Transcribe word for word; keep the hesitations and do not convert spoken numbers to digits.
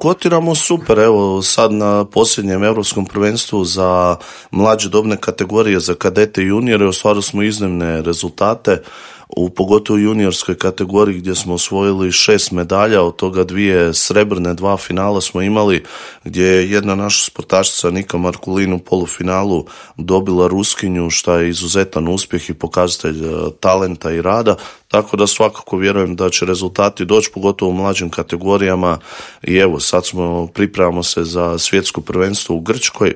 Kotiramo super, evo sad na posljednjem europskom prvenstvu za mlađe dobne kategorije, za kadete i juniore, ostvarili smo iznimne rezultate, u pogotovo juniorskoj kategoriji gdje smo osvojili šest medalja, od toga dvije srebrne, dva finala smo imali, gdje je jedna naša sportašica Nika Markulin u polufinalu dobila Ruskinju, što je izuzetan uspjeh i pokazatelj talenta i rada, tako da svakako vjerujem da će rezultati doći, pogotovo u mlađim kategorijama. I evo, sad smo, pripremamo se za svjetsko prvenstvo u Grčkoj,